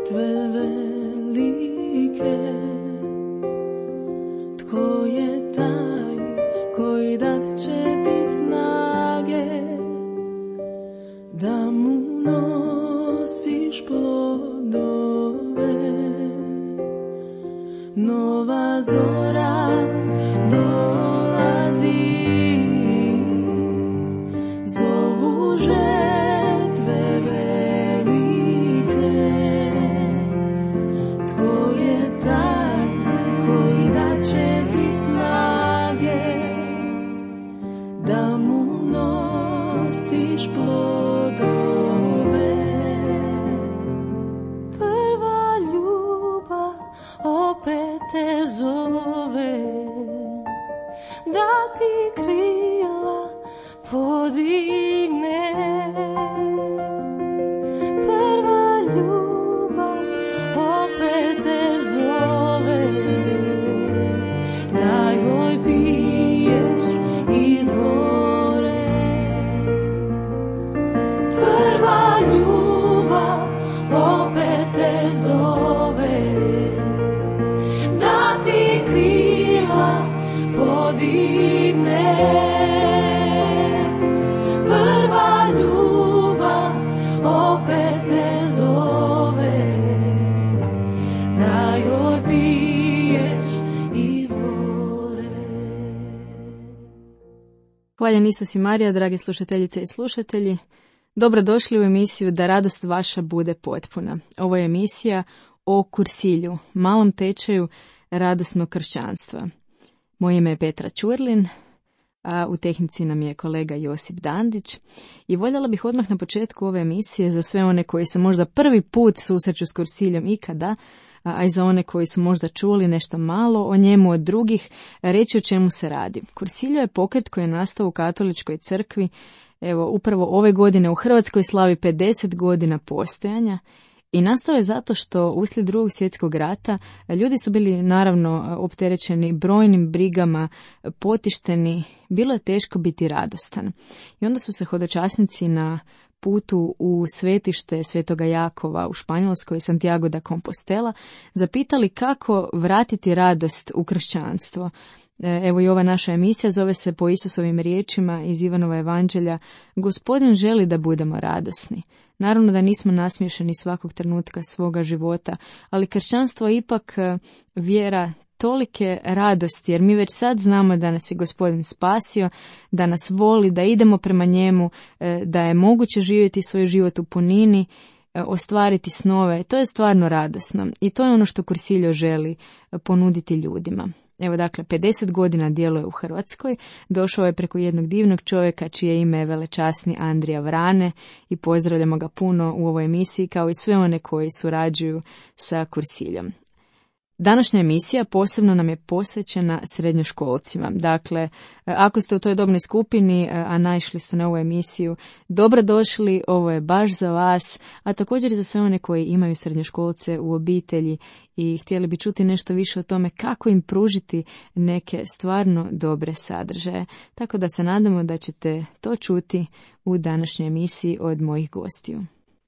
žrtve velike. Tko je taj koji dat će ti snage da mu nosiš plodove? Nova zora dolazi, zovu žetve velike. Tko je taj koji daće ti snage da mu nosiš plodove? Prva ljubav opet te zove da ti krila podigne. Prva ljubav opet te zove da joj piješ izvore. Prva ljubav opet te zove da ti krila podigne. Prva ljubav opet te zove da joj piješ izvore. Hvaljen Isus i Marija, drage slušateljice i slušatelji. Dobrodošli u emisiju Da radost vaša bude potpuna. Ovo je emisija o kursilju, malom tečaju radosnog kršćanstva. Moje ime je Petra Ćurlin, a u tehnici nam je kolega Josip Dandić. I voljela bih odmah na početku ove emisije za sve one koji se možda prvi put susreću s kursiljom ikada, a i za one koji su možda čuli nešto malo o njemu od drugih, reći o čemu se radi. Kursiljo je pokret koji je nastao u katoličkoj crkvi. Evo, upravo ove godine u Hrvatskoj slavi 50 godina postojanja i nastao je zato što uslijed Drugog svjetskog rata ljudi su bili naravno opterećeni brojnim brigama, potišteni, bilo je teško biti radostan. I onda su se hodočasnici na putu u svetište Svetoga Jakova u Španjolskoj, Santiago de Compostela, zapitali kako vratiti radost u kršćanstvo. Evo i ova naša emisija zove se po Isusovim riječima iz Ivanova evanđelja: Gospodin želi da budemo radosni. Naravno da nismo nasmiješeni svakog trenutka svoga života, ali kršćanstvo je ipak vjera tolike radosti, jer mi već sad znamo da nas je Gospodin spasio, da nas voli, da idemo prema njemu, da je moguće živjeti svoj život u punini, ostvariti snove. To je stvarno radosno i to je ono što Kursiljo želi ponuditi ljudima. Evo dakle, 50 godina djeluje u Hrvatskoj, došao je preko jednog divnog čovjeka čije ime je velečasni Andrija Vrane i pozdravljamo ga puno u ovoj emisiji kao i sve one koji surađuju sa Kursiljom. Današnja emisija posebno nam je posvećena srednjoškolcima. Dakle, ako ste u toj dobnoj skupini, a naišli ste na ovu emisiju, dobrodošli, ovo je baš za vas, a također i za sve one koji imaju srednjoškolce u obitelji i htjeli bi čuti nešto više o tome kako im pružiti neke stvarno dobre sadržaje. Tako da se nadamo da ćete to čuti u današnjoj emisiji od mojih gostiju.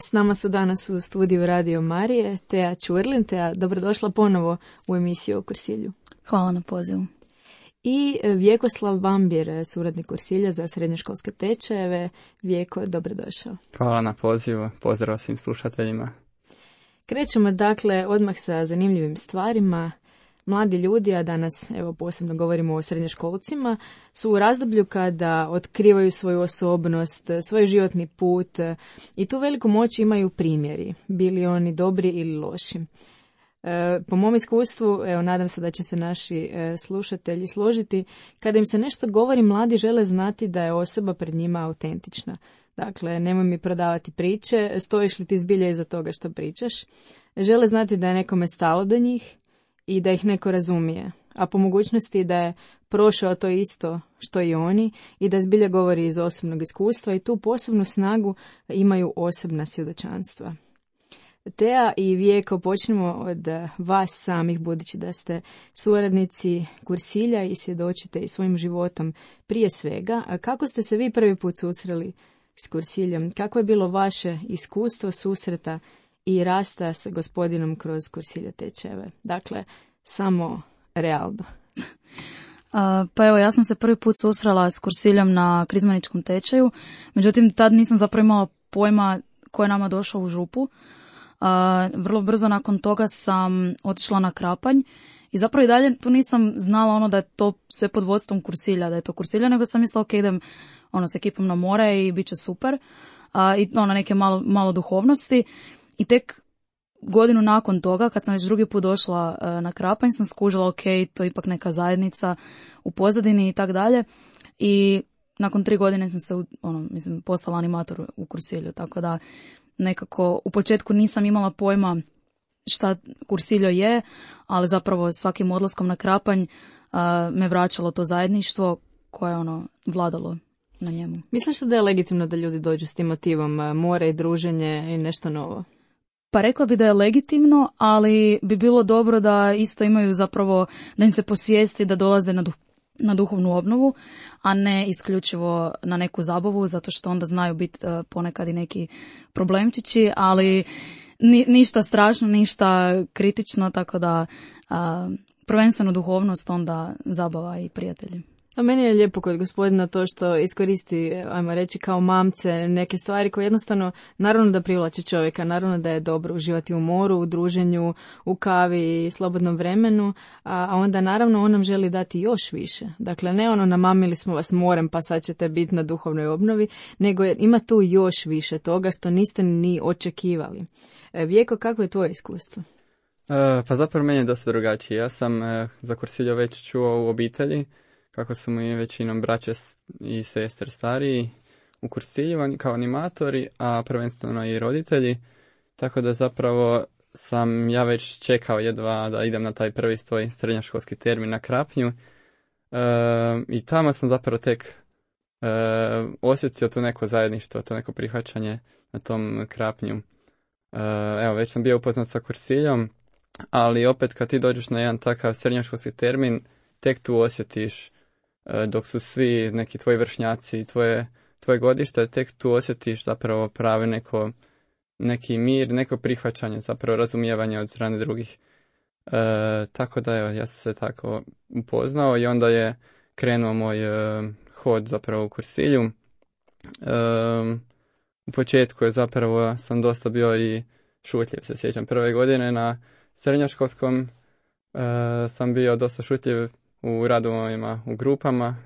S nama su danas u studiju Radio Marije Tea Ćurlin. Tea, dobrodošla ponovo u emisiju o Kursilju. Hvala na pozivu. I Vjekoslav Bambir, suradnik Kursilja za srednjoškolske tečajeve. Vjeko, dobrodošao. Hvala na pozivu, pozdrav svim slušateljima. Krećemo dakle odmah sa zanimljivim stvarima. Mladi ljudi, a danas evo posebno govorimo o srednjoškolcima, su u razdoblju kada otkrivaju svoju osobnost, svoj životni put i tu veliku moć imaju primjeri, bili oni dobri ili loši. Po mom iskustvu, evo nadam se da će se naši slušatelji složiti, kada im se nešto govori, mladi žele znati da je osoba pred njima autentična. Dakle, nemoj mi prodavati priče, stojiš li ti zbilja iza toga što pričaš. Žele znati da je nekome stalo do njih i da ih neko razumije, a po mogućnosti da je prošao to isto što i oni i da zbilja govori iz osobnog iskustva i tu posebnu snagu imaju osobna svjedočanstva. Tea i Vijeko, počnemo od vas samih, budući da ste suradnici Kursilja i svjedočite i svojim životom prije svega. A kako ste se vi prvi put susreli s Kursiljom? Kako je bilo vaše iskustvo susreta i rasta s gospodinom kroz Kursiljo tečajeve. Dakle, samo realno. Pa evo, ja sam se prvi put susrela s Kursiljom na krizmaničkom tečaju, međutim tad nisam zapravo imala pojma ko je nama došao u župu. Vrlo brzo nakon toga sam otišla na Krapanj i zapravo i dalje tu nisam znala da je to sve pod vodstvom Kursilja, da je to Kursilja, nego sam mislila ok, idem s ekipom na more i bit će super. I neke malo duhovnosti. I tek godinu nakon toga, kad sam već drugi put došla na Krapanj, sam skužila ok, to je ipak neka zajednica u pozadini i tak dalje. I nakon 3 godine sam se postala animator u Kursilju, tako da nekako u početku nisam imala pojma šta Kursiljo je, ali zapravo svakim odlaskom na Krapanj me vraćalo to zajedništvo koje je vladalo na njemu. Misliš da je legitimno da ljudi dođu s tim motivom more i druženje i nešto novo? Pa rekla bi da je legitimno, ali bi bilo dobro da isto imaju zapravo, da im se posvijesti da dolaze na duhovnu obnovu, a ne isključivo na neku zabavu, zato što onda znaju biti ponekad i neki problemčići, ali ništa strašno, ništa kritično, tako da prvenstveno duhovnost, onda zabava i prijatelji. A meni je lijepo kod gospodina to što iskoristi, ajmo reći, kao mamce neke stvari koje jednostavno, naravno da privlači čovjeka, naravno da je dobro uživati u moru, u druženju, u kavi i slobodnom vremenu, a onda naravno on nam želi dati još više. Dakle, ne namamili smo vas morem pa sad ćete biti na duhovnoj obnovi, nego ima tu još više toga što niste ni očekivali. Vijeko, kako je tvoje iskustvo? Pa zapravo meni je dosta drugačije. Ja sam za Kursiljo već čuo u obitelji, kako su mi većinom braće i sestre stariji u Kursilju kao animatori, a prvenstveno i roditelji. Tako da zapravo sam ja već čekao jedva da idem na taj prvi svoj srednjoškolski termin na Krapnju. I tamo sam zapravo tek osjetio to neko zajedništvo, to neko prihvaćanje na tom Krapnju. Evo, već sam bio upoznat sa Kursiljom, ali opet kad ti dođeš na jedan takav srednjoškolski termin, tek tu osjetiš, dok su svi neki tvoji vršnjaci, tvoje godište, tek tu osjetiš zapravo pravi neki mir, neko prihvaćanje, zapravo razumijevanje od strane drugih. Tako da evo, ja sam se tako upoznao i onda je krenuo moj hod zapravo u Kursilju. U početku je zapravo sam dosta bio i šutljiv, se sjećam. Prve godine na srednjoškolskom sam bio dosta šutljiv u radovima, u grupama.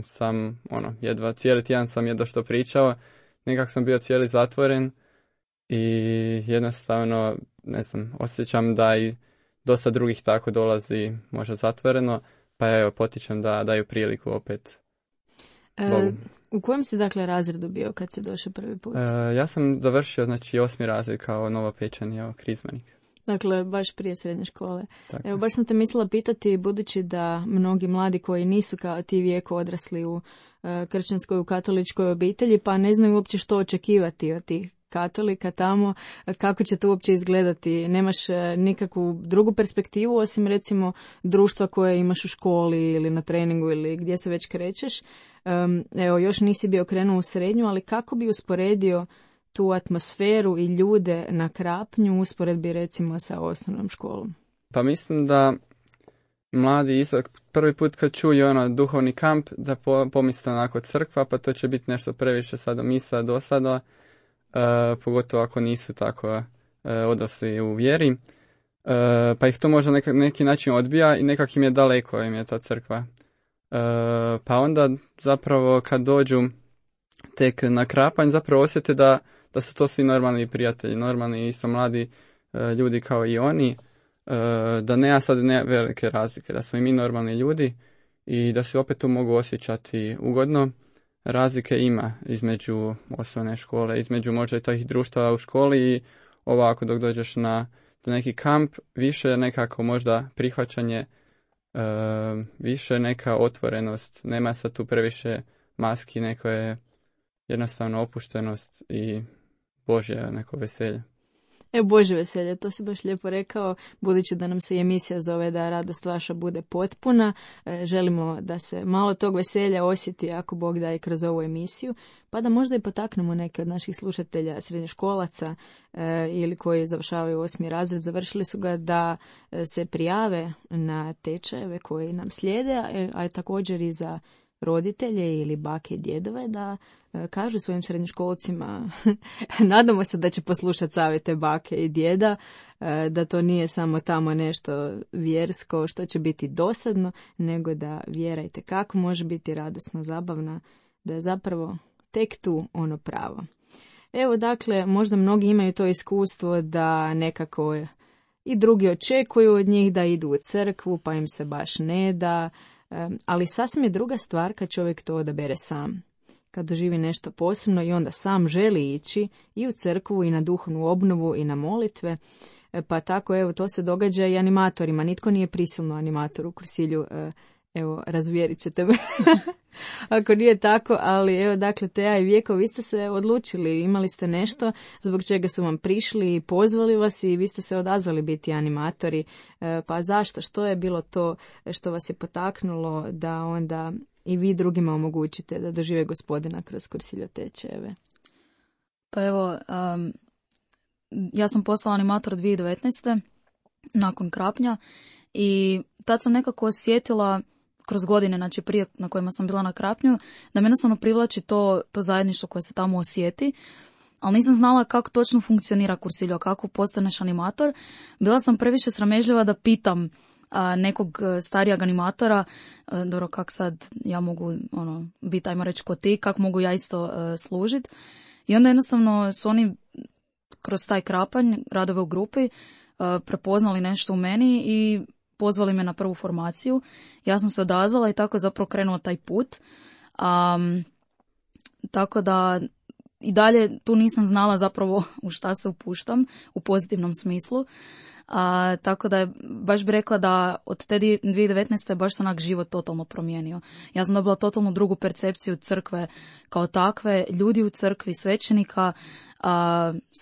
Sam cijeli tjedan sam jedva što pričao. Nekako sam bio cijeli zatvoren i jednostavno, ne znam, osjećam da i dosta drugih tako dolazi možda zatvoreno, pa evo potičem da daju priliku opet. U kojem si dakle razredu bio kad si došao prvi put? Ja sam završio 8. razred kao novopečeni krizmanik. Dakle, baš prije srednje škole. Tako. Evo, baš sam te mislila pitati, budući da mnogi mladi koji nisu kao ti Vijeko odrasli u kršćanskoj, u katoličkoj obitelji, pa ne znaju uopće što očekivati od tih katolika tamo, kako će to uopće izgledati. Nemaš nikakvu drugu perspektivu, osim recimo društva koje imaš u školi ili na treningu ili gdje se već krećeš. Evo, još nisi bio krenuo u srednju, ali kako bi usporedio tu atmosferu i ljude na Krapnju u usporedbi recimo sa osnovnom školom? Pa mislim da mladi prvi put kad čuju duhovni kamp da pomisle onako crkva, pa to će biti nešto previše sada misa do sada, pogotovo ako nisu tako odrasli u vjeri, pa ih to možda neki način odbija i nekak im je daleko im je ta crkva. Pa onda zapravo kad dođu tek na Krapanj zapravo osjete da su to svi normalni prijatelji, normalni isto mladi ljudi kao i oni, da nema sad velike razlike, da smo i mi normalni ljudi i da se opet tu mogu osjećati ugodno. Razlike ima između osnovne škole, između možda i tih društava u školi i ovako dok dođeš na neki kamp, više nekako možda prihvaćanje, više neka otvorenost, nema sad tu previše maski, neko je jednostavno opuštenost i Božje neko veselje. Bože veselje, to si baš lijepo rekao, budući da nam se emisija zove da radost vaša bude potpuna, želimo da se malo tog veselja osjeti ako Bog da i kroz ovu emisiju, pa da možda i potaknemo neke od naših slušatelja srednjoškolaca ili koji završavaju 8. razred, završili su ga, da se prijave na tečajeve koji nam slijede, a također i za roditelje ili bake i djedove da kažu svojim srednjoškolcima, nadamo se da će poslušati savjete bake i djeda, da to nije samo tamo nešto vjersko što će biti dosadno, nego da vjera itekako može biti radosna, zabavna, da je zapravo tek tu ono pravo. Evo, dakle, možda mnogi imaju to iskustvo da nekako i drugi očekuju od njih da idu u crkvu, pa im se baš ne da, ali sasvim je druga stvar kad čovjek to odabere sam. Kad doživi nešto posebno i onda sam želi ići i u crkvu i na duhovnu obnovu i na molitve, pa tako evo to se događa i animatorima. Nitko nije prisilno animator u Kursilju, evo razvjerit ćete me ako nije tako, ali evo dakle Teja i Vjeko, vi ste se odlučili, imali ste nešto zbog čega su vam prišli i pozvali vas i vi ste se odazvali biti animatori, pa zašto, što je bilo to što vas je potaknulo da onda i vi drugima omogućite da dožive Gospodina kroz Kursiljo tečajeve? Pa evo, ja sam postala animator 2019. nakon Krapnja i tad sam nekako osjetila kroz godine, znači prije na kojima sam bila na Krapnju, da me jednostavno privlači to zajedništvo koje se tamo osjeti, ali nisam znala kako točno funkcionira Kursiljo, kako postaneš animator. Bila sam previše sramežljiva da pitam nekog starijeg animatora, dobro, kak sad ja mogu biti, ajmo reći, ko ti, kako mogu ja isto služiti. I onda jednostavno su oni kroz taj Krapanj, radove u grupi, prepoznali nešto u meni i pozvali me na prvu formaciju. Ja sam se odazvala i tako je zapravo krenuo taj put. Tako da i dalje tu nisam znala zapravo u šta se upuštam u pozitivnom smislu. Tako da je, baš bi rekla da od te 2019. baš se onak život totalno promijenio. Ja sam dobila totalno drugu percepciju crkve kao takve, ljudi u crkvi, svećenika,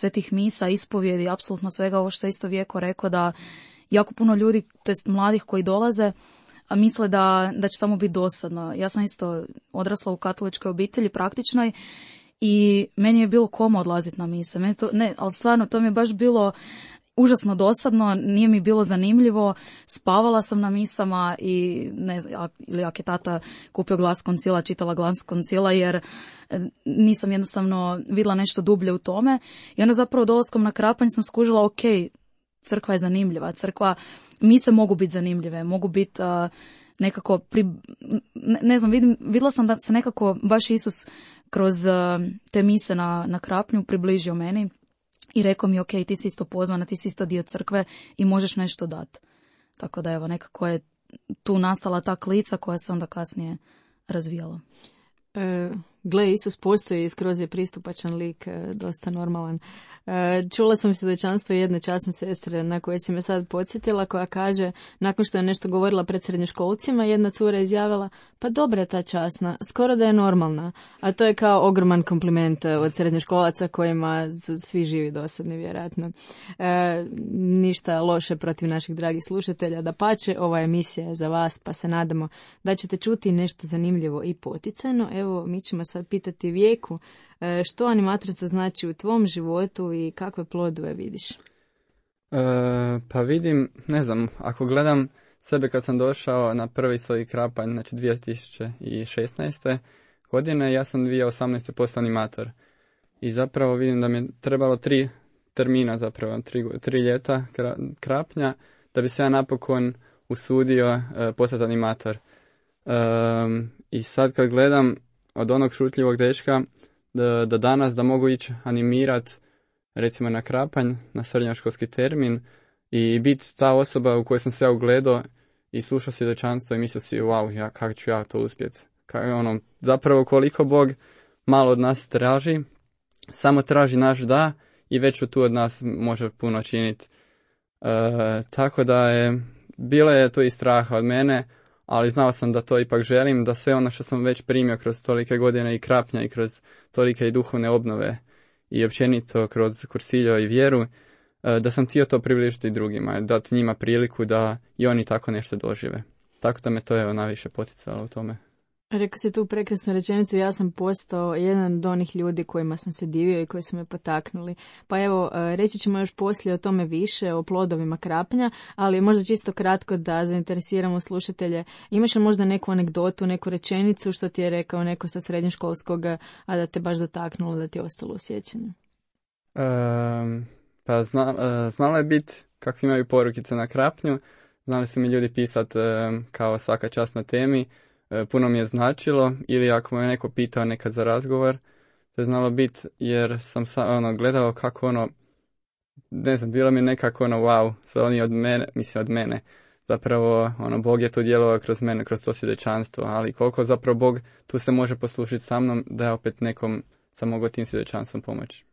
svetih misa, ispovjedi, apsolutno svega ovo što je isto Vjeko rekao, da jako puno ljudi, to jest mladih koji dolaze, misle da će tamo biti dosadno. Ja sam isto odrasla u katoličkoj obitelji, praktičnoj, i meni je bilo koma odlaziti na mise. Ali stvarno, to mi je baš bilo užasno dosadno, nije mi bilo zanimljivo, spavala sam na misama i ne znam, ili ako je tata kupio glas koncila, čitala glas koncila, jer nisam jednostavno vidjela nešto dublje u tome. I onda zapravo dolaskom na Krapanj sam skužila, ok, crkva je zanimljiva, mise mogu biti zanimljive, mogu biti nekako, ne znam, vidjela sam da se nekako baš Isus kroz te mise na Krapnju približio meni i rekao mi, ok, ti si isto pozvana, ti si isto dio crkve i možeš nešto dati. Tako da evo, nekako je tu nastala ta klica koja se onda kasnije razvijala. Gle, Isus postoji i skroz je pristupačan lik, dosta normalan. Čula sam svjedočanstvo jedne časne sestre na koje si me sad podsjetila, koja kaže, nakon što je nešto govorila pred srednjoškolcima, jedna cura izjavila, pa dobra je ta časna, skoro da je normalna. A to je kao ogroman kompliment od srednjoškolaca kojima su svi živi dosadni, vjerojatno. Ništa loše protiv naših dragih slušatelja, dapače, ova emisija je za vas, pa se nadamo da ćete čuti nešto zanimljivo i poticajno. Evo, mi ćemo sad pitati Vjeku, što animatorstvo znači u tvom životu i kakve plodove vidiš? Pa vidim, ne znam, ako gledam sebe kad sam došao na prvi svoj Krapanj, znači 2016. godine, ja sam 2018. postao animator. I zapravo vidim da mi je trebalo 3 termina, zapravo 3 ljeta Krapnja, da bi se ja napokon usudio postati animator. I sad kad gledam od onog šutljivog dečka do danas da mogu ići animirat recimo na Krapanj, na srednjoškolski termin i biti ta osoba u kojoj sam se ja ugledao i slušao svjedočanstvo i mislio si, wow, kako ću ja to uspjeti. Zapravo koliko Bog malo od nas traži, samo traži naš da i već tu od nas može puno činiti. Tako da bilo je to i straha od mene, ali znao sam da to ipak želim, da sve ono što sam već primio kroz tolike godine i Krapnja i kroz tolike i duhovne obnove i općenito kroz Kursiljo i vjeru, da sam htio to približiti drugima, dati njima priliku da i oni tako nešto dožive. Tako da me to je najviše poticalo u tome. Rekao si tu prekrasnu rečenicu, ja sam postao jedan od onih ljudi kojima sam se divio i koji su me potaknuli. Pa evo, reći ćemo još poslije o tome više, o plodovima krapnja, ali možda čisto kratko da zainteresiramo slušatelje. Imaš li možda neku anegdotu, neku rečenicu što ti je rekao neko sa srednjoškolskog, a da te baš dotaknulo, da ti je ostalo u sjećanju? Pa znalo je biti kako imaju porukice na krapnju, znali su mi ljudi pisati kao svaka čast na temi, puno mi je značilo, ili ako me neko pitao nekad za razgovor, to je znalo biti jer sam gledao kako ne znam, bilo mi nekako wow, su oni od mene, zapravo Bog je tu djelovao kroz mene, kroz to svjedočanstvo, ali koliko zapravo Bog tu se može poslužiti sa mnom, da je opet nekom sam mogao tim svjedočanstvom pomoći.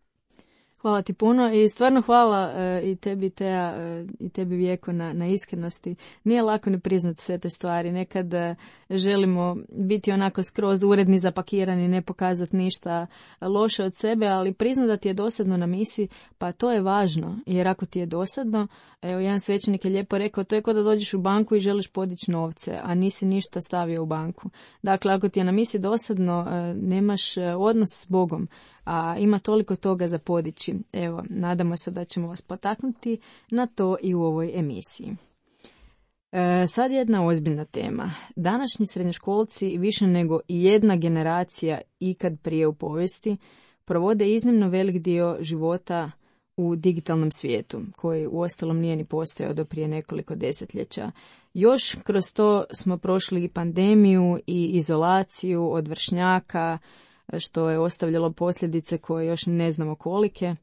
Hvala ti puno i stvarno hvala i tebi Teja i tebi Vjeko na iskrenosti. Nije lako ne priznati sve te stvari. Nekad želimo biti onako skroz uredni, zapakirani, ne pokazati ništa loše od sebe, ali priznati da ti je dosadno na misiji, pa to je važno. Jer ako ti je dosadno, evo jedan svećenik je lijepo rekao, to je kao da dođeš u banku i želiš podići novce, a nisi ništa stavio u banku. Dakle, ako ti je na misiji dosadno, nemaš odnos s Bogom, a ima toliko toga za podići. Evo, nadamo se da ćemo vas potaknuti na to i u ovoj emisiji. Sad jedna ozbiljna tema. Današnji srednjoškolci, više nego i jedna generacija ikad prije u povijesti, provode iznimno velik dio života u digitalnom svijetu, koji uostalom nije ni postojao do prije nekoliko desetljeća. Još kroz to smo prošli i pandemiju i izolaciju od vršnjaka, što je ostavljalo posljedice koje još ne znamo kolike.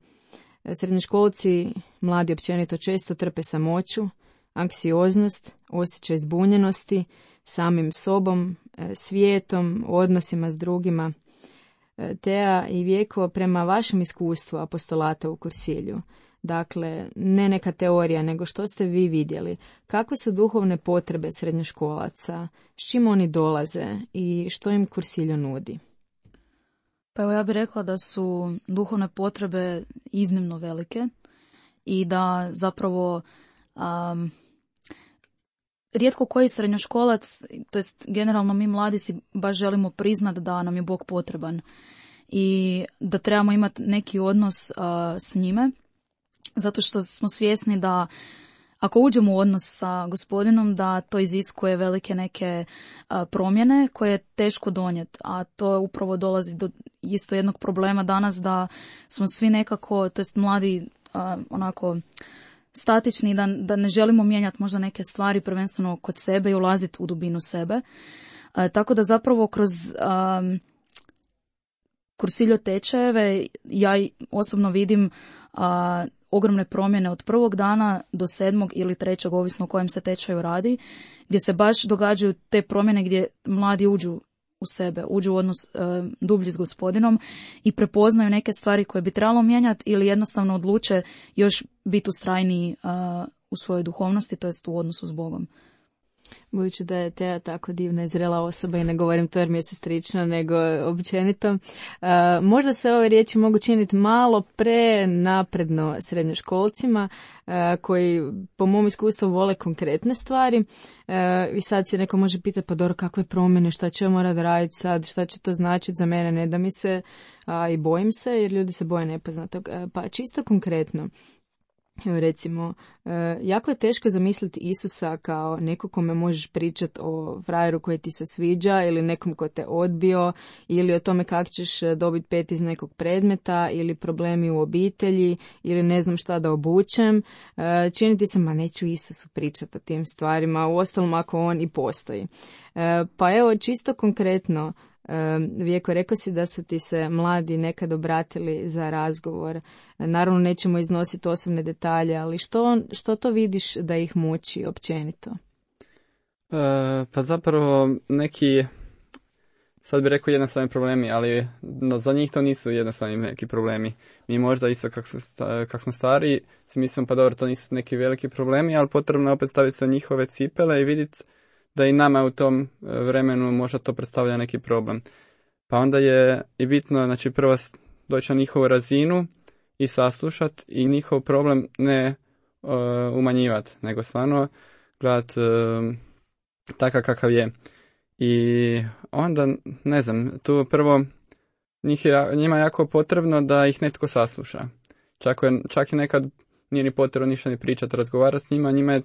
Srednjoškolci, mladi općenito, često trpe samoću, anksioznost, osjećaj zbunjenosti, samim sobom, svijetom, odnosima s drugima. Teja i Vjeko, prema vašem iskustvu apostolata u Kursilju, dakle, ne neka teorija, nego što ste vi vidjeli, kakve su duhovne potrebe srednjoškolaca, s čim oni dolaze i što im Kursilju nudi? Pa evo, ja bih rekla da su duhovne potrebe iznimno velike i da zapravo rijetko koji srednjoškolac, to jest generalno mi mladi si baš želimo priznati da nam je Bog potreban i da trebamo imati neki odnos s njime, zato što smo svjesni da ako uđemo u odnos sa Gospodinom, da to iziskuje velike neke promjene koje je teško donijeti, a to upravo dolazi do isto jednog problema danas, da smo svi nekako, to jest mladi, onako statični, da ne želimo mijenjati možda neke stvari prvenstveno kod sebe i ulaziti u dubinu sebe. Tako da zapravo kroz Kursiljo tečajeve ja osobno vidim ogromne promjene od prvog dana do 7. ili 3. ovisno o kojem se tečaju radi, gdje se baš događaju te promjene gdje mladi uđu u sebe, uđu u odnos dublji s Gospodinom i prepoznaju neke stvari koje bi trebalo mijenjati ili jednostavno odluče još biti ustrajniji u svojoj duhovnosti, to jest u odnosu s Bogom. Budući da je Teja tako divna i zrela osoba i ne govorim to jer mi je sestrična, nego općenito, možda se ove riječi mogu činiti malo prenapredno srednjoškolcima koji po mom iskustvu vole konkretne stvari i sad se neko može pitati pa dobro kakve promjene, šta će morat raditi sad, šta će to značiti za mene, ne da mi se i bojim se jer ljudi se boje nepoznatog. Pa čisto konkretno. Evo recimo, jako je teško zamisliti Isusa kao neko kome možeš pričati o frajeru koji ti se sviđa ili nekom ko te odbio ili o tome kako ćeš dobiti 5 iz nekog predmeta ili problemi u obitelji ili ne znam šta da obučem. Čini ti se, ma neću Isusu pričati o tim stvarima, uostalom ako on i postoji. Pa evo, čisto konkretno, Vjeko, rekao si da su ti se mladi nekad obratili za razgovor. Naravno nećemo iznositi osobne detalje, ali što to vidiš da ih muči općenito? Pa zapravo neki, sad bih rekao jednostavni problemi, ali za njih to nisu jednostavni neki problemi. Mi možda isto kak smo stari, si mislimo pa dobro, to nisu neki veliki problemi, ali potrebno je opet staviti se njihove cipele i vidjeti da i nama u tom vremenu možda to predstavlja neki problem. Pa onda je i bitno, znači prvo doći na njihovu razinu i saslušati i njihov problem ne umanjivati, nego stvarno gledati takav kakav je. I onda, ne znam, tu prvo njima je jako potrebno da ih netko sasluša. Čak i nekad nije ni potrebno ništa ni pričati, razgovarati s njima je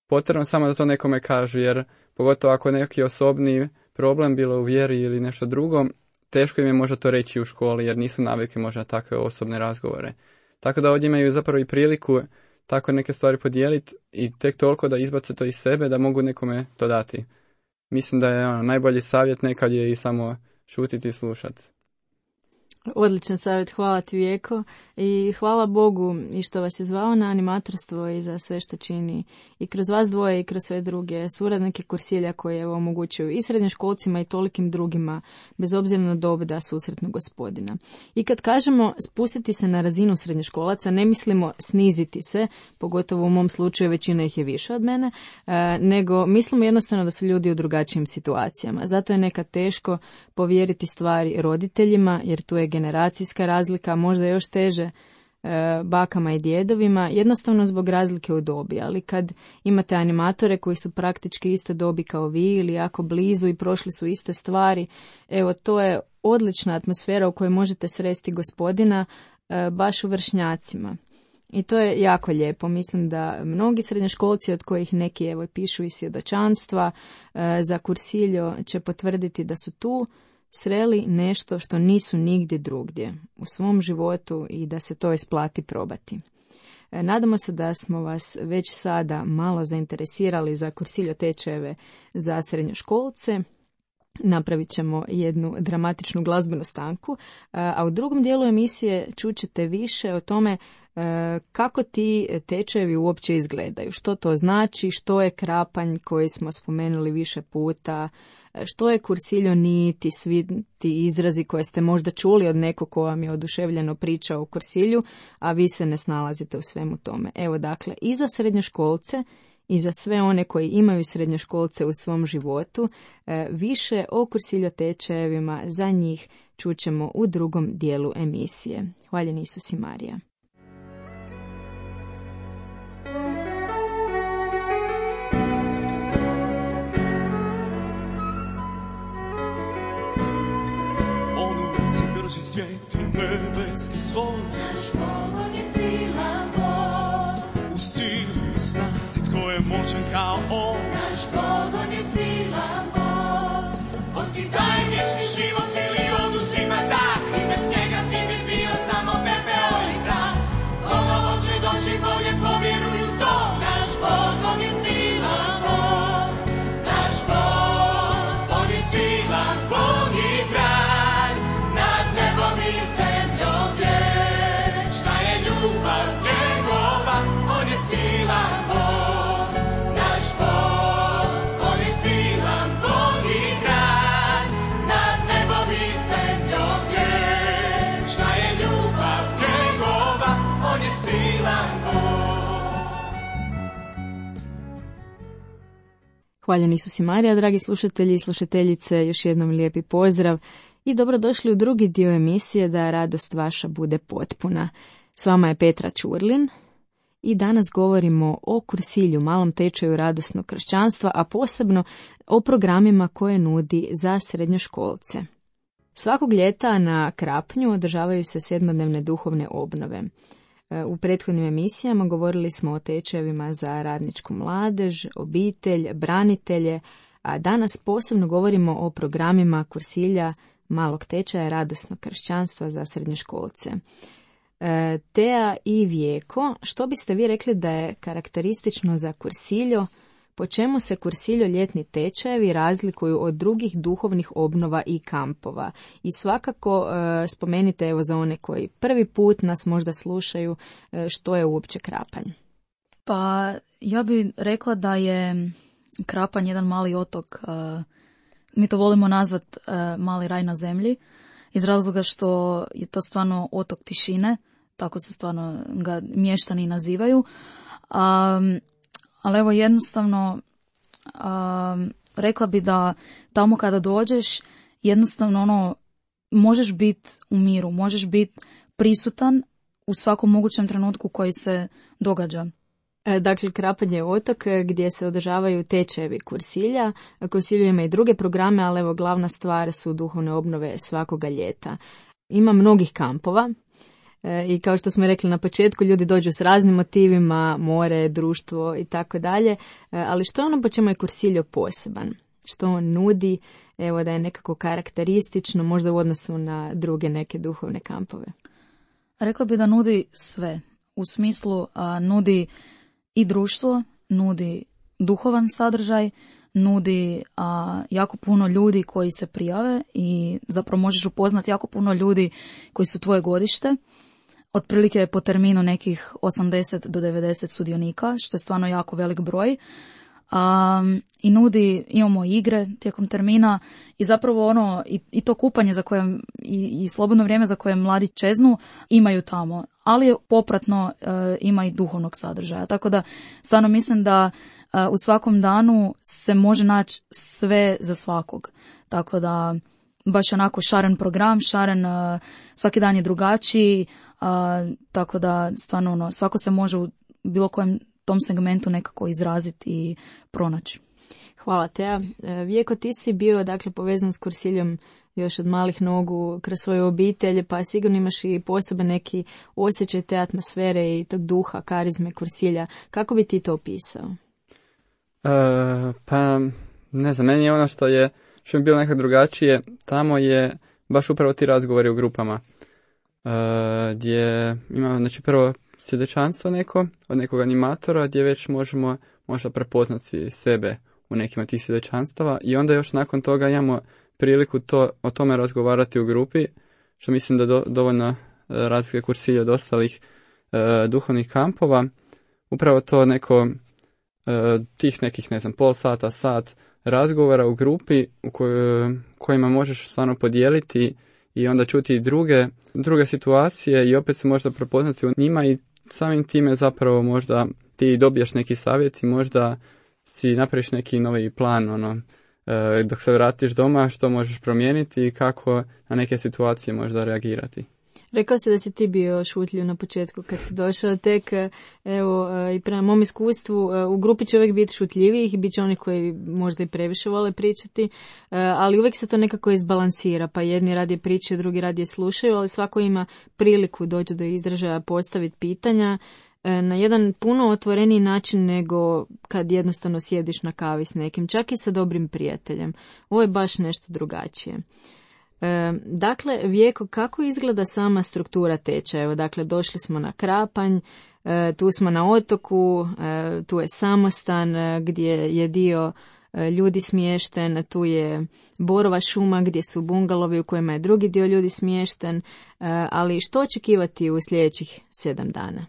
potrebno samo da to nekome kažu, jer pogotovo ako je neki osobni problem, bilo u vjeri ili nešto drugo, teško im je možda to reći u školi, jer nisu navikli možda takve osobne razgovore. Tako da ovdje imaju zapravo i priliku tako neke stvari podijeliti i tek toliko da izbace to iz sebe, da mogu nekome to dati. Mislim da je najbolji savjet nekad je i samo šutiti i slušati. Odličan savjet, hvala ti Vijeko i hvala Bogu i što vas je zvao na animatorstvo i za sve što čini i kroz vas dvoje i kroz sve druge suradnike Kursilja koje omogućuju i srednjoškolcima i tolikim drugima bez obzira na dob da susretnu Gospodina. I kad kažemo spustiti se na razinu srednjoškolaca, ne mislimo sniziti se, pogotovo u mom slučaju većina ih je više od mene, nego mislimo jednostavno da su ljudi u drugačijim situacijama. Zato je nekad teško povjeriti stvari roditeljima jer tu je generacijska razlika, možda još teže bakama i djedovima, jednostavno zbog razlike u dobi, ali kad imate animatore koji su praktički iste dobi kao vi ili jako blizu i prošli su iste stvari, evo to je odlična atmosfera u kojoj možete sresti Gospodina baš u vršnjacima. I to je jako lijepo. Mislim da mnogi srednjoškolci, od kojih neki evo pišu i svjedočanstva za Kursiljo, će potvrditi da su tu sreli nešto što nisu nigdje drugdje u svom životu i da se to isplati probati. Nadamo se da smo vas već sada malo zainteresirali za Kursiljo tečajeve za srednjoškolce. Napravit ćemo jednu dramatičnu glazbenu stanku, a u drugom dijelu emisije čućete više o tome kako ti tečajevi uopće izgledaju, što to znači, što je krapanj koji smo spomenuli više puta, što je Kursiljo niti, svi ti izrazi koje ste možda čuli od nekog ko vam je oduševljeno pričao o Kursilju, a vi se ne snalazite u svemu tome. Evo dakle, i za srednjoškolce i za sve one koji imaju srednjoškolce u svom životu, više o Kursiljo tečajevima za njih čućemo u drugom dijelu emisije. Hvaljen Isus i Marija. Svijet i nebeski svod, naš Bog je silan Bog. U sili i snazi tko je moćan kao On. Naš Bog, on je silan Bog. On ti daje vječni život ili oduzima dah, i bez njega ti bi bio samo pepeo i prah. Bogovo će doći bolje, povjeruju to. Naš Bog, on je silan Bog. Naš Bog, on je silan Bog i kralj nad nebom i zemljom vječna je ljubav njegova. On je silan Bog. Naš Bog, on je silan Bog i kralj nad nebom i zemljom vječna je ljubav njegova. On je silan Bog. Hvaljen Isus i Marija, dragi slušatelji i slušateljice, još jednom lijepi pozdrav i dobrodošli u drugi dio emisije Da radost vaša bude potpuna. S vama je Petra Ćurlin i danas govorimo o Kursilju, malom tečaju radosnog kršćanstva, a posebno o programima koje nudi za srednjoškolce. Svakog ljeta na Krapnju održavaju se 7-dnevne duhovne obnove. U prethodnim emisijama govorili smo o tečajevima za radničku mladež, obitelj, branitelje, a danas posebno govorimo o programima Kursilja, malog tečaja radosnog kršćanstva za srednjoškolce. Tea i Vijeko, što biste vi rekli da je karakteristično za Kursiljo? Po čemu se Kursiljo ljetni tečajevi razlikuju od drugih duhovnih obnova i kampova? I svakako spomenite evo za one koji prvi put nas možda slušaju, što je uopće Krapanj? Pa ja bih rekla da je Krapanj jedan mali otok, mi to volimo nazvat mali raj na zemlji, iz razloga što je to stvarno otok tišine, tako se stvarno ga mještani nazivaju. Ali evo jednostavno rekla bi da tamo kada dođeš jednostavno možeš biti u miru, možeš biti prisutan u svakom mogućem trenutku koji se događa. Dakle, Krapanj je otok gdje se održavaju tečajevi Kursilja. Kursilju ima i druge programe, ali evo glavna stvar su duhovne obnove svakoga ljeta. Ima mnogih kampova i kao što smo rekli na početku, ljudi dođu s raznim motivima, more, društvo i tako dalje. Ali što je ono po čemu je Kursiljo poseban? Što on nudi, evo da je nekako karakteristično, možda u odnosu na druge neke duhovne kampove? Rekla bi da nudi sve. U smislu nudi i društvo, nudi duhovan sadržaj, nudi jako puno ljudi koji se prijave i zapravo možeš upoznati jako puno ljudi koji su tvoje godište. Otprilike po terminu nekih 80 do 90 sudionika, što je stvarno jako velik broj. I imamo igre tijekom termina i zapravo i to kupanje za koje i slobodno vrijeme za koje mladi čeznu imaju tamo, ali popratno ima i duhovnog sadržaja. Tako da stvarno mislim da u svakom danu se može naći sve za svakog. Tako da baš onako šaren program, svaki dan je drugačiji, tako da stvarno svako se može u bilo kojem tom segmentu nekako izraziti i pronaći. Hvala Teja. Vijeko, ti si bio dakle povezan s Kursiljom još od malih nogu kroz svoju obitelj, pa sigurno imaš i poseban neki osjećaj te atmosfere i tog duha, karizme Kursilja. Kako bi ti to opisao? Pa ne znam, meni je ono što je bilo nekako drugačije, tamo je baš upravo ti razgovori u grupama, gdje ima znači prvo svjedočanstvo neko, od nekog animatora, gdje već možemo možda prepoznati sebe u nekim od tih svjedočanstava i onda još nakon toga imamo priliku o tome razgovarati u grupi, što mislim da dovoljno razlike Kursilja od ostalih duhovnih kampova. Upravo to neko tih nekih, ne znam, pol sata, sat razgovora u grupi u kojima možeš stvarno podijeliti i onda čuti i druge situacije i opet se možda prepoznati u njima i samim time zapravo možda ti dobiješ neki savjet i možda si napraviš neki novi plan, dok se vratiš doma, što možeš promijeniti i kako na neke situacije možda reagirati. Rekao si da si ti bio šutljiv na početku kad si došao, tek evo i prema mom iskustvu u grupi će uvijek biti šutljivijih i bit će oni koji možda i previše vole pričati, ali uvijek se to nekako izbalansira, pa jedni radije pričaju, drugi radije slušaju, ali svako ima priliku doći do izražaja, postaviti pitanja na jedan puno otvoreniji način nego kad jednostavno sjediš na kavi s nekim, čak i sa dobrim prijateljem. Ovo je baš nešto drugačije. Dakle, Vijeko, kako izgleda sama struktura tečaja? Evo, dakle, došli smo na Krapanj, tu smo na otoku, tu je samostan gdje je dio ljudi smješten, tu je borova šuma gdje su bungalovi u kojima je drugi dio ljudi smješten, ali što očekivati u sljedećih 7 dana?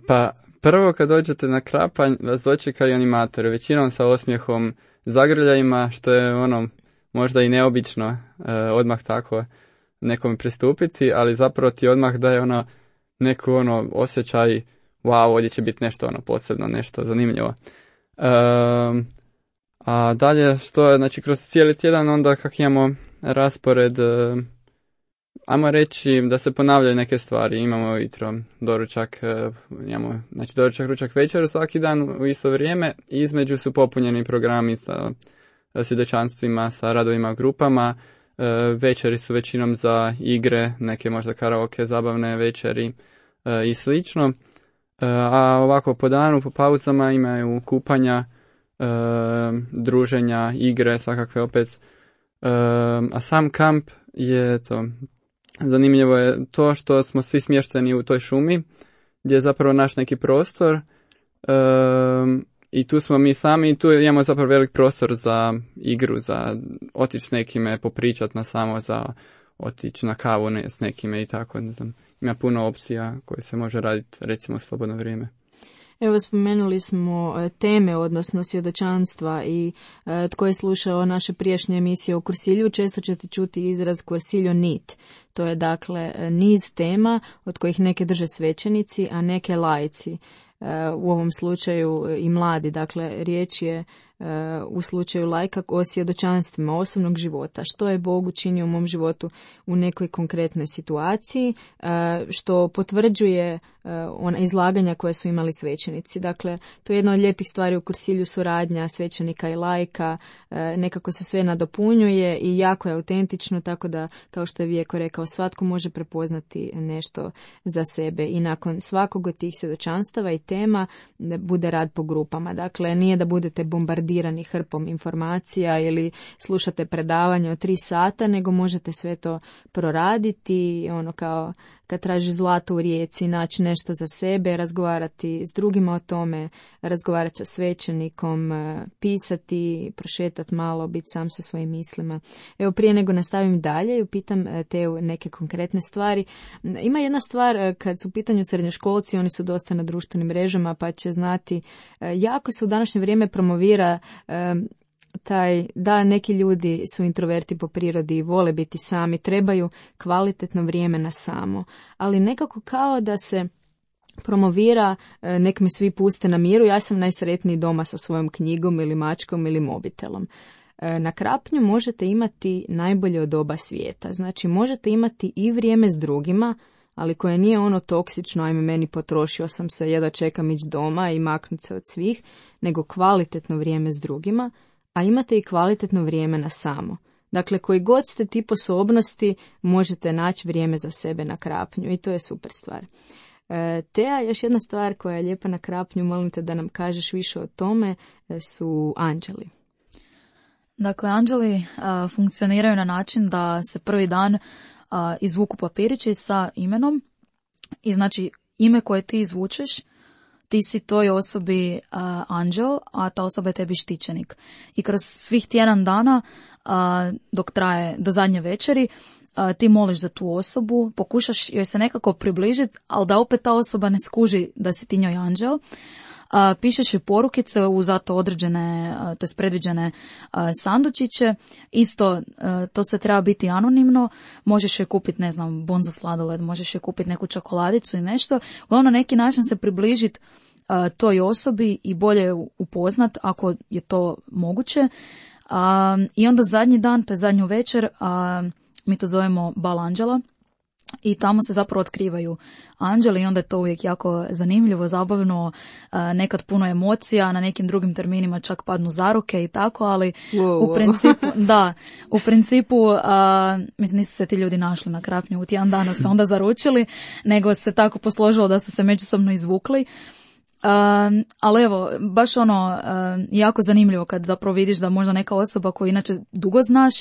Pa prvo kad dođete na Krapanj vas dočekaju animatori, većinom sa osmijehom, zagrljajima, što je možda i neobično odmah tako nekome pristupiti, ali zapravo ti odmah daje neku osjećaj, wow, ovdje će biti nešto posebno, nešto zanimljivo. A dalje što je, znači kroz cijeli tjedan onda kak imamo raspored, ajmo reći da se ponavljaju neke stvari, imamo jutro doručak, imamo znači doručak, ručak, večer svaki dan u isto vrijeme, između su popunjeni programi sa svjedočanstvima, sa radovima, grupama, večeri su većinom za igre, neke možda karaoke, zabavne večeri i slično, a ovako po danu, po pauzama imaju kupanja, druženja, igre, svakakve opet, a sam kamp je to, zanimljivo je to što smo svi smješteni u toj šumi, gdje je zapravo naš neki prostor, i tu smo mi sami i tu imamo zapravo velik prostor za igru, za otići s nekime, popričati za otići na kavu s nekime i tako, ne znam. Ima puno opcija koje se može raditi recimo u slobodno vrijeme. Evo, spomenuli smo teme, odnosno svjedočanstva i tko je slušao naše prijašnje emisije o Kursilju, često ćete čuti izraz Kursiljo nit. To je dakle niz tema od kojih neke drže svećenici, a neke laici. U ovom slučaju i mladi, dakle riječ je u slučaju lajka o svjedočanstvima osobnog života, što je Bog učinio u mom životu u nekoj konkretnoj situaciji, što potvrđuje ona izlaganja koje su imali svećenici. Dakle, to je jedna od lijepih stvari u kursilju, suradnja svećenika i laika, nekako se sve nadopunjuje i jako je autentično, tako da, kao što je Vijeko rekao, svatko može prepoznati nešto za sebe i nakon svakog od tih svjedočanstava i tema bude rad po grupama. Dakle, nije da budete bombardirani hrpom informacija ili slušate predavanje od 3 sata, nego možete sve to proraditi, ono kao kad tražiš zlato u rijeci, naći nešto za sebe, razgovarati s drugima o tome, razgovarati sa svećenikom, pisati, prošetati malo, biti sam sa svojim mislima. Evo, prije nego nastavim dalje i upitam te neke konkretne stvari. Ima jedna stvar, kad su u pitanju srednjoškolci, oni su dosta na društvenim mrežama, pa će znati, jako se u današnje vrijeme promovira da neki ljudi su introverti po prirodi i vole biti sami, trebaju kvalitetno vrijeme na samo, ali nekako kao da se promovira nek me svi puste na miru, ja sam najsretniji doma sa svojom knjigom ili mačkom ili mobitelom. Na Krapnju možete imati najbolje od oba svijeta, znači možete imati i vrijeme s drugima, ali koje nije ono toksično, ajme meni potrošio sam se, jedva čekam ići doma i maknuti se od svih, nego kvalitetno vrijeme s drugima, a imate i kvalitetno vrijeme na samo. Dakle, koji god ste tip osobnosti, možete naći vrijeme za sebe na Krapnju i to je super stvar. Teja, još jedna stvar koja je lijepa na Krapnju, molim te da nam kažeš više o tome, su anđeli. Dakle, anđeli funkcioniraju na način da se prvi dan izvuku papirići sa imenom i znači ime koje ti izvučeš, ti si toj osobi anđel, a ta osoba je tebi štićenik. I kroz svih tjedan dana, dok traje do zadnje večeri, ti moliš za tu osobu, pokušaš joj se nekako približiti, ali da opet ta osoba ne skuži da si ti njoj anđel. Pišeš joj porukice u zato određene, to jest predviđene sandučiće. Isto, to sve treba biti anonimno. Možeš joj kupiti, ne znam, bon za sladoled, možeš joj kupiti neku čokoladicu i nešto. Uglavnom, na neki način se približiti toj osobi i bolje upoznat ako je to moguće. I onda zadnji dan, to je zadnju večer, mi to zovemo bal anđela. I tamo se zapravo otkrivaju anđeli i onda je to uvijek jako zanimljivo, zabavno, nekad puno emocija, na nekim drugim terminima čak padnu zaruke i tako, ali u principu, mislim, nisu se ti ljudi našli na Krapnju u tjedan dana se onda zaručili, nego se tako posložilo da su se međusobno izvukli. Ali evo, baš jako zanimljivo kad zapravo vidiš da možda neka osoba koju inače dugo znaš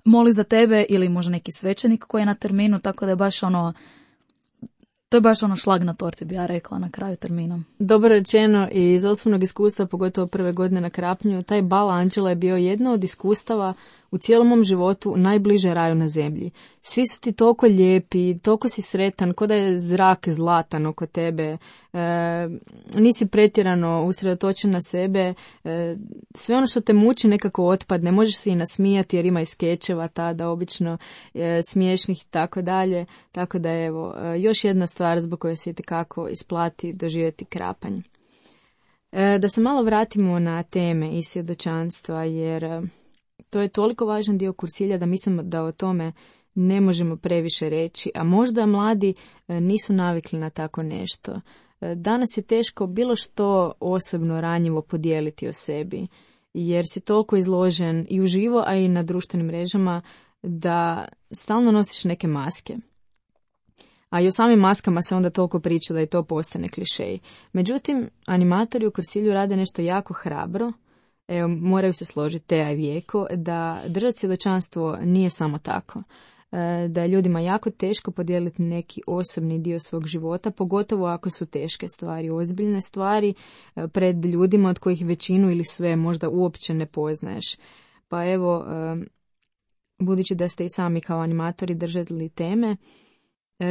moli za tebe ili možda neki svećenik koji je na terminu, tako da je baš to je baš šlag na torti, bi ja rekla, na kraju termina. Dobro rečeno i iz osobnog iskustva, pogotovo prve godine na Krapnju, taj bal anđela je bio jedno od iskustava u cijelom mom životu najbliže raju na zemlji. Svi su ti toliko lijepi, toliko si sretan, ko da je zrak zlatan oko tebe, nisi pretjerano usredotočen na sebe, sve ono što te muči nekako otpadne, možeš se i nasmijati jer ima i skečeva tada, obično smiješnih i tako dalje, tako da evo, još jedna stvar zbog koje se itekako isplati doživjeti Krapanj. Da se malo vratimo na teme i svjedočanstva, jer to je toliko važan dio kursilja da mislim da o tome ne možemo previše reći, a možda mladi nisu navikli na tako nešto. Danas je teško bilo što osobno ranjivo podijeliti o sebi, jer si toliko izložen i uživo, a i na društvenim mrežama da stalno nosiš neke maske. A i o samim maskama se onda toliko priča da i to postane klišej. Međutim, animatori u kursilju rade nešto jako hrabro. Evo, moraju se složiti Teja i Vijeko da držati svjedočanstvo nije samo tako. Da je ljudima jako teško podijeliti neki osobni dio svog života, pogotovo ako su teške stvari, ozbiljne stvari pred ljudima od kojih većinu ili sve možda uopće ne poznaješ. Pa evo, budući da ste i sami kao animatori držali teme,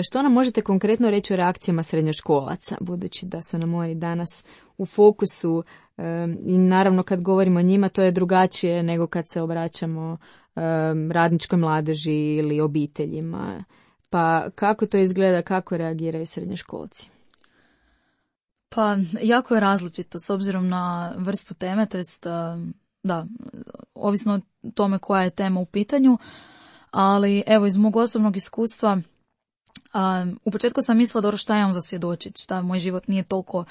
što nam možete konkretno reći o reakcijama srednjoškolaca, budući da su nam oni danas u fokusu i naravno kad govorimo o njima to je drugačije nego kad se obraćamo radničkoj mladeži ili obiteljima. Pa kako to izgleda, kako reagiraju srednjoškolci? Pa jako je različito s obzirom na vrstu teme, to jest da, ovisno o tome koja je tema u pitanju, ali evo iz mog osobnog iskustva, u početku sam mislila dobro šta imam za svjedočiti, šta moj život nije toliko,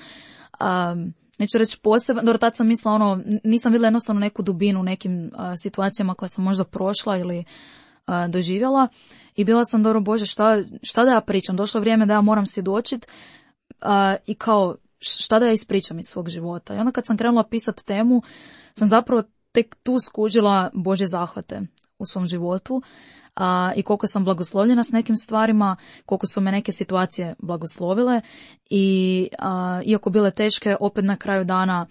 neću reći poseban, dobro tad sam mislila nisam vidjela jednostavno neku dubinu u nekim situacijama koje sam možda prošla ili doživjela i bila sam dobro Bože šta da ja pričam, došlo vrijeme da ja moram svjedočiti i kao šta da ja ispričam iz svog života. I onda kad sam krenula pisati temu, sam zapravo tek tu skužila Božje zahvate u svom životu i koliko sam blagoslovljena s nekim stvarima, koliko su me neke situacije blagoslovile i iako bile teške, opet na kraju dana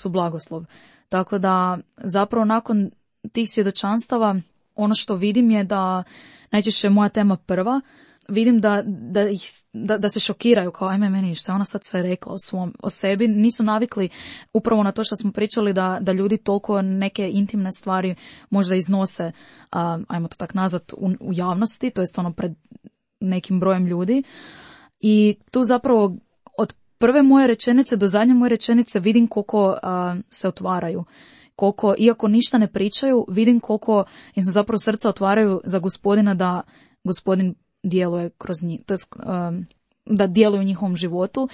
su blagoslov. Tako da zapravo nakon tih svjedočanstava ono što vidim je da najčešće moja tema prva, vidim da se šokiraju kao ajme meni šta ona sad sve rekla o sebi. Nisu navikli upravo na to što smo pričali da ljudi toliko neke intimne stvari možda iznose, ajmo to tak nazvat, u javnosti, to jest pred nekim brojem ljudi. I tu zapravo od prve moje rečenice do zadnje moje rečenice vidim koliko se otvaraju. Koliko, iako ništa ne pričaju, vidim koliko im se zapravo srca otvaraju za Gospodina, da Gospodin djeluje kroz njih, to jest da djeluje u njihovom životu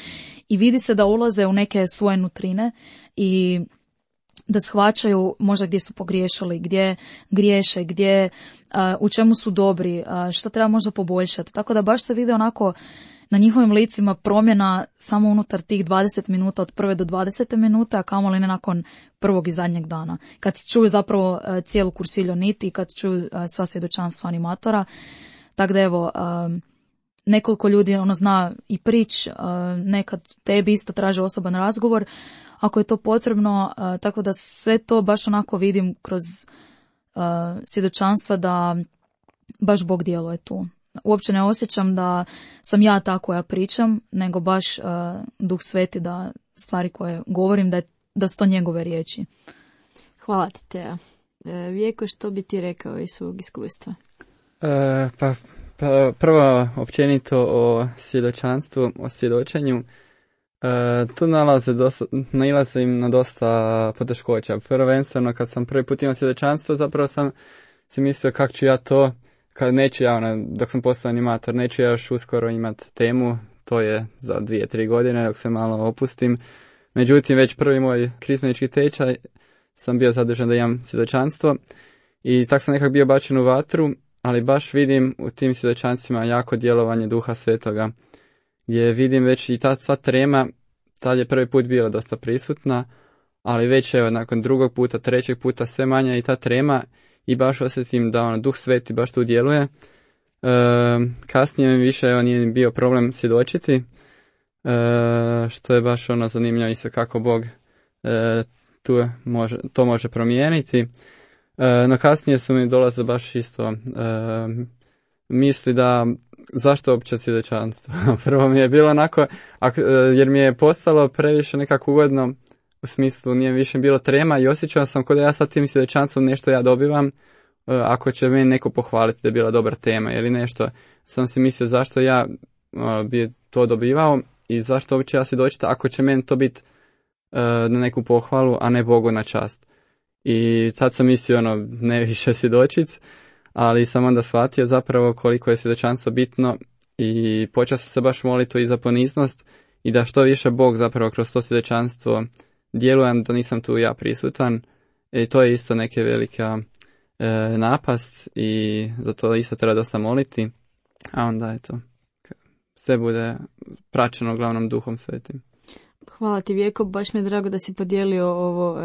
i vidi se da ulaze u neke svoje nutrine i da shvaćaju možda gdje su pogriješili, gdje griješe, gdje, u čemu su dobri, što treba možda poboljšati. Tako da baš se vidi onako na njihovim licima promjena samo unutar tih 20 minuta, od prve do 20 minuta, a kamoli ne nakon prvog i zadnjeg dana. Kad čuju zapravo cijelu kursilju niti i kad čuju sva svjedočanstva animatora. Tako da evo, nekoliko ljudi zna i prič, nekad tebi isto traže osoban razgovor, ako je to potrebno, tako da sve to baš onako vidim kroz svjedočanstva da baš Bog djeluje tu. Uopće ne osjećam da sam ja ta koja pričam, nego baš Duh Sveti da stvari koje govorim, da su to njegove riječi. Hvala ti, Teja. Vijeko, što bi ti rekao iz svog iskustva? Pa prvo općenito o svjedočanstvu, o svjedočenju. Tu nailaze im na dosta poteškoća. Prvenstveno kad sam prvi put imao svjedočanstvo, zapravo sam si mislio kako ću ja to, kad neću ja, dok sam postao animator, neću ja još uskoro imati temu, to je za 2-3 godine dok se malo opustim. Međutim, već prvi moj krizmenički tečaj sam bio zadužen da imam svjedočanstvo i tako sam nekako bio bačen u vatru, ali baš vidim u tim svjedočanstvima jako djelovanje Duha Svetoga, gdje vidim već i ta sva trema, tad je prvi put bila dosta prisutna, ali već evo nakon drugog puta, trećeg puta sve manja i ta trema i baš osjetim da Duh Sveti baš tu djeluje. Kasnije mi više nije bio problem svjedočiti, što je baš zanimljivo isto kako Bog to može promijeniti. No kasnije su mi dolaze baš isto misli da zašto uopće svjedočanstvo. Prvo mi je bilo onako, jer mi je postalo previše nekako ugodno, u smislu nije više bilo trema i osjećao sam kao da ja sa tim svjedočanstvom nešto ja dobivam, ako će meni neko pohvaliti da je bila dobra tema ili nešto. Sam si mislio zašto ja bi to dobivao i zašto uopće ja svjedočiti ako će meni to biti na neku pohvalu, a ne Bogu na čast. I sad sam mislio ne više svjedočiti, ali sam onda shvatio zapravo koliko je svjedočanstvo bitno i počeo sam se baš moliti i za poniznost i da što više Bog zapravo kroz to svjedočanstvo djelujem, da nisam tu ja prisutan. I to je isto neke velika napast i za to isto treba dosta moliti, a onda eto, sve bude praćeno uglavnom Duhom Svetim. Hvala ti, Vijeko, baš mi je drago da si podijelio ovo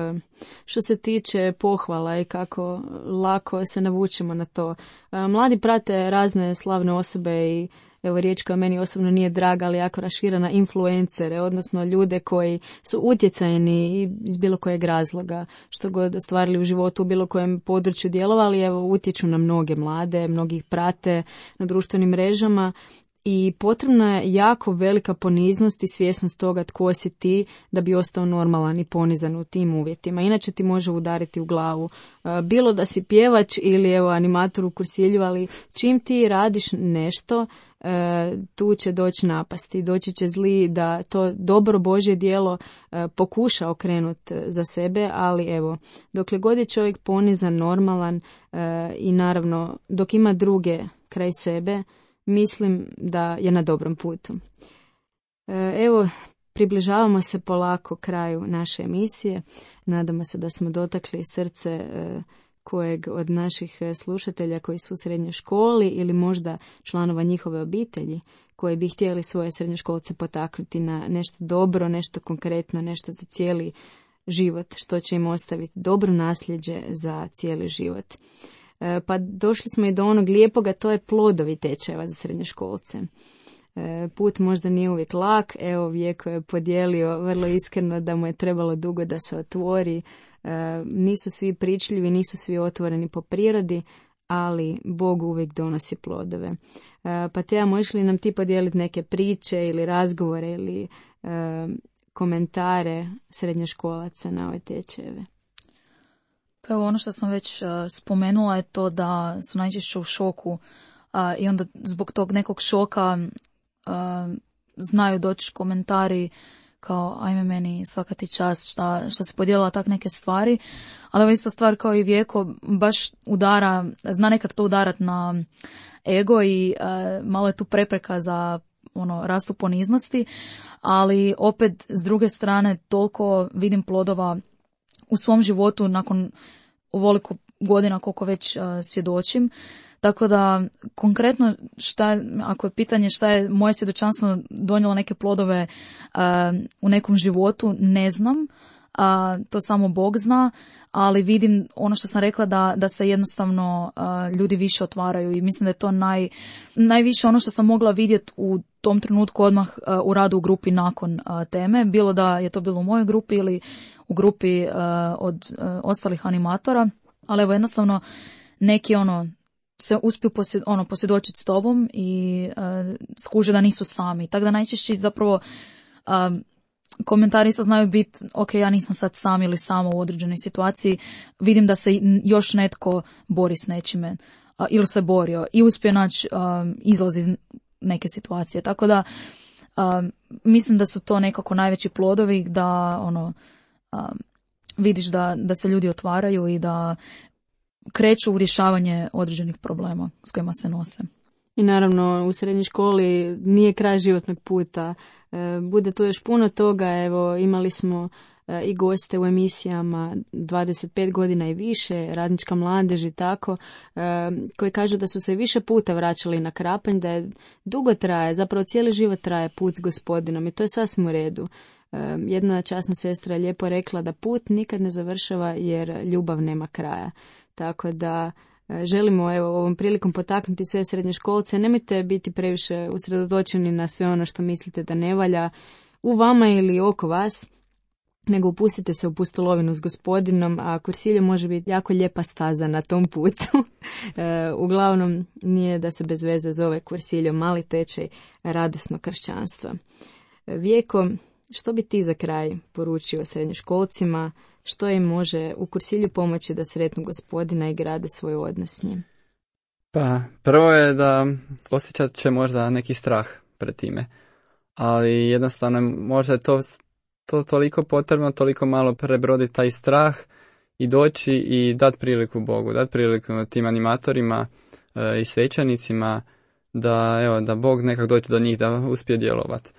što se tiče pohvala i kako lako se navučemo na to. Mladi prate razne slavne osobe i evo riječ koja meni osobno nije draga, ali jako raširena, influencere, odnosno ljude koji su utjecajni iz bilo kojeg razloga, što god ostvarili u životu, u bilo kojem području djelovali, evo utječu na mnoge mlade, mnogi ih prate na društvenim mrežama. I potrebna je jako velika poniznost i svjesnost toga tko si ti da bi ostao normalan i ponizan u tim uvjetima. Inače ti može udariti u glavu. Bilo da si pjevač ili evo animator u kursilju, ali čim ti radiš nešto tu će doći napasti, doći će zli da to dobro Božje djelo pokuša okrenuti za sebe, ali evo, dokle god je čovjek ponizan, normalan i naravno dok ima druge kraj sebe, mislim da je na dobrom putu. Evo, približavamo se polako kraju naše emisije. Nadamo se da smo dotakli srce kojeg od naših slušatelja koji su u srednjoj školi ili možda članova njihove obitelji koji bi htjeli svoje srednjoškolce potaknuti na nešto dobro, nešto konkretno, nešto za cijeli život, što će im ostaviti dobro nasljeđe za cijeli život. Pa došli smo i do onog lijepoga, to je plodovi tečajeva za srednjoškolce. Put možda nije uvijek lak, evo Vjeko je podijelio vrlo iskreno da mu je trebalo dugo da se otvori. Nisu svi pričljivi, nisu svi otvoreni po prirodi, ali Bog uvijek donosi plodove. Pa Teja, možeš li nam ti podijeliti neke priče ili razgovore ili komentare srednjoškolaca na ove tečajeve? Pa evo, ono što sam već spomenula je to da su najčešće u šoku i onda zbog tog nekog šoka znaju doći komentari kao ajme meni svaka ti čast šta se podijelila tak neke stvari, ali ovo ista stvar kao i Vjeko baš udara, zna nekad to udarat na ego i malo je tu prepreka za rastu poniznosti, ali opet s druge strane toliko vidim plodova u svom životu nakon ovoliko godina koliko već svjedočim. Tako da, konkretno, ako je pitanje šta je moje svjedočanstvo donijelo neke plodove u nekom životu, ne znam, to samo Bog zna, ali vidim ono što sam rekla da se jednostavno ljudi više otvaraju i mislim da je to najviše ono što sam mogla vidjeti u tom trenutku odmah u radu u grupi nakon teme, bilo da je to bilo u mojoj grupi ili u grupi od ostalih animatora, ali evo jednostavno neki se uspiju posvjedočiti s tobom i skuže da nisu sami. Tako da najčešće zapravo komentari isto znaju biti ok, ja nisam sad sam ili samo u određenoj situaciji, vidim da se još netko bori s nečime ili se borio i uspije naći izlaz iz neke situacije. Tako da mislim da su to nekako najveći plodovi da vidiš da se ljudi otvaraju i da kreću u rješavanje određenih problema s kojima se nose. I naravno u srednjoj školi nije kraj životnog puta. Bude tu još puno toga. Evo, imali smo i goste u emisijama 25 godina i više, radnička mladež i tako, koji kažu da su se više puta vraćali na Krapanj, da je dugo traje, zapravo cijeli život traje put s Gospodinom i to je sasvim u redu. Jedna časna sestra je lijepo rekla da put nikad ne završava jer ljubav nema kraja. Tako da želimo ovom prilikom potaknuti sve srednjoškolce, nemojte biti previše usredotočeni na sve ono što mislite da ne valja u vama ili oko vas, nego upustite se u pustolovinu s Gospodinom, a Kursilju može biti jako lijepa staza na tom putu. Uglavnom nije da se bez veze zove Kursilju, mali tečaj radosnog kršćanstva. Vjeko, što bi ti za kraj poručio srednjoškolcima, što im može u Kursilju pomoći da sretnu Gospodina i grade svoj odnos s njim? Pa, prvo je da osjećat će možda neki strah pred time, ali jednostavno možda je to toliko potrebno, toliko malo prebroditi taj strah i doći i dati priliku Bogu, dati priliku tim animatorima i svećanicima da Bog nekak dođe do njih, da uspije djelovati.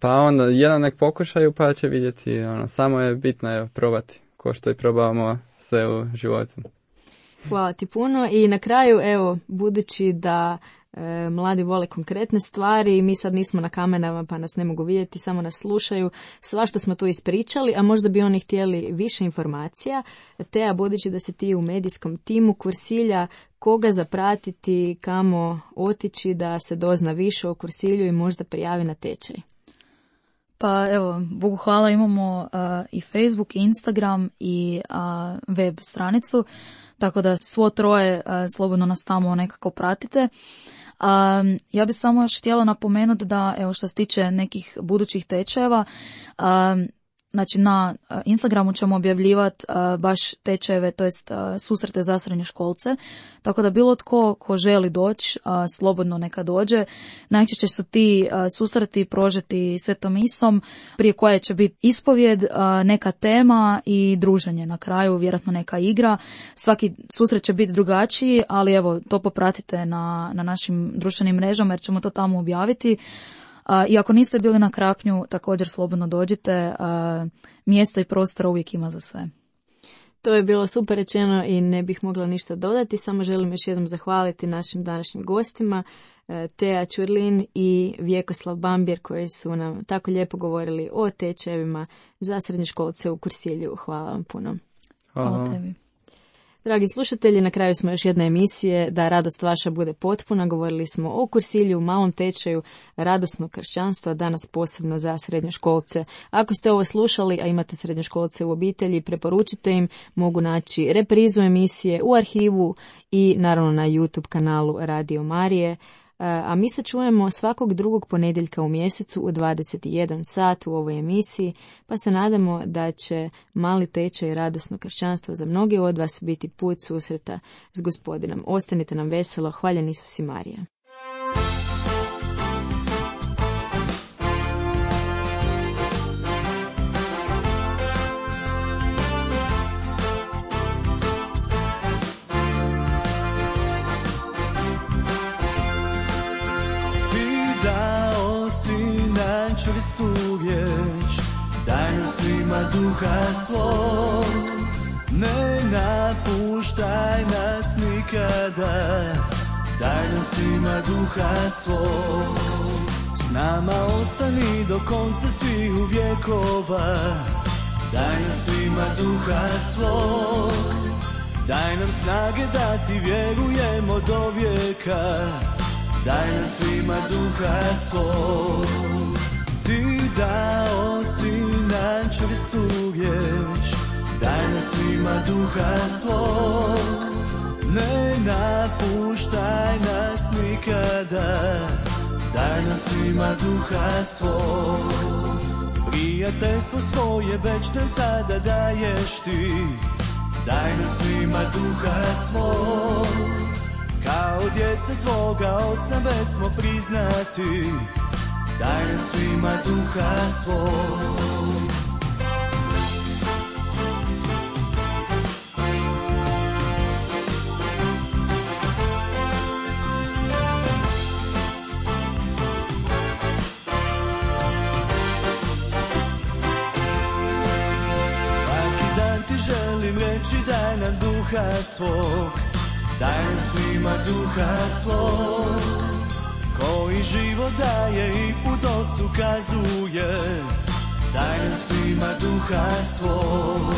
Pa onda jedan nek pokušaju pa će vidjeti, samo je bitno probati, ko što i probavamo sve u životu. Hvala ti puno i na kraju, budući da mladi vole konkretne stvari, mi sad nismo na kamerama pa nas ne mogu vidjeti, samo nas slušaju, svašta smo tu ispričali, a možda bi oni htjeli više informacija. Teja, budući da si ti u medijskom timu Kursilja, koga zapratiti, kamo otići da se dozna više o Kursilju i možda prijavi na tečaj? Pa evo, Bogu hvala, imamo i Facebook, i Instagram i web stranicu, tako da svo troje slobodno nas tamo nekako pratite. Ja bih samo još htjela napomenuti da, evo, što se tiče nekih budućih tečajeva, Znači na Instagramu ćemo objavljivati baš tečajeve, to jest susrete za srednjoškolce, tako da bilo tko ko želi doći, slobodno neka dođe. Najčešće su ti susreti prožeti svetom misom, prije koje će biti ispovjed, neka tema i druženje na kraju, vjerojatno neka igra. Svaki susret će biti drugačiji, ali evo, to popratite na našim društvenim mrežama jer ćemo to tamo objaviti. I ako niste bili na Krapnju, također slobodno dođite, mjesta i prostora uvijek ima za sve. To je bilo super rečeno i ne bih mogla ništa dodati, samo želim još jednom zahvaliti našim današnjim gostima, Teja Ćurlin i Vjekoslav Bambir, koji su nam tako lijepo govorili o tečajevima za srednjoškolce u Kursilju. Hvala vam puno. Hvala tebi. Dragi slušatelji, na kraju smo još jedne emisije Da radost vaša bude potpuna. Govorili smo o Kursilju, malom tečaju radosnog kršćanstva, danas posebno za srednjoškolce. Ako ste ovo slušali, a imate srednjoškolce u obitelji, preporučite im, mogu naći reprizu emisije u arhivu i naravno na YouTube kanalu Radio Marije. A mi se čujemo svakog drugog ponedjeljka u mjesecu u 21 sat u ovoj emisiji, pa se nadamo da će mali tečaj radosnog kršćanstva za mnogi od vas biti put susreta s Gospodinom. Ostanite nam veselo, hvaljen Isus i Marija. Čvrstu riječ, daj nam svima duha svog, ne napuštaj nas nikada, daj nam svima duha svog. S nama ostani do konca svih vjekova, daj nam svima duha svog, daj nam snage da ti vjerujemo do vijeka, daj nam svima duha svog. Ti dao si nam čvrstu riječ, daj nam svima duha svog, ne napuštaj nas nikada, daj nam svima duha svog. Prijateljstvo svoje večne sada daješ ti, daj nam svima duha svog. Kao djeca tvoga oca već smo priznati, daj nam svima duha svog. Svaki dan ti želim reći daj nam duha svog, daj nam svima duha svog. Koji život daje i put Otcu kazuje, daj nam svima duha svog.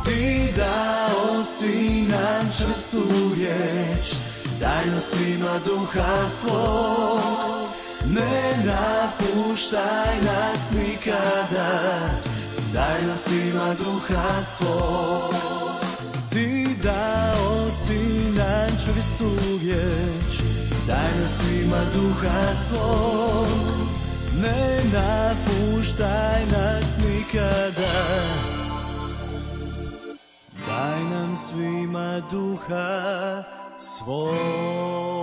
Ti dao si nam čvrstu riječ, daj nam svima duha svog, ne napuštaj nas nikada, daj nam svima duha svog. Ti dao si nam čvrstu riječ, daj nam svima duha svog, ne napuštaj nas nikada, daj nam svima duha svog.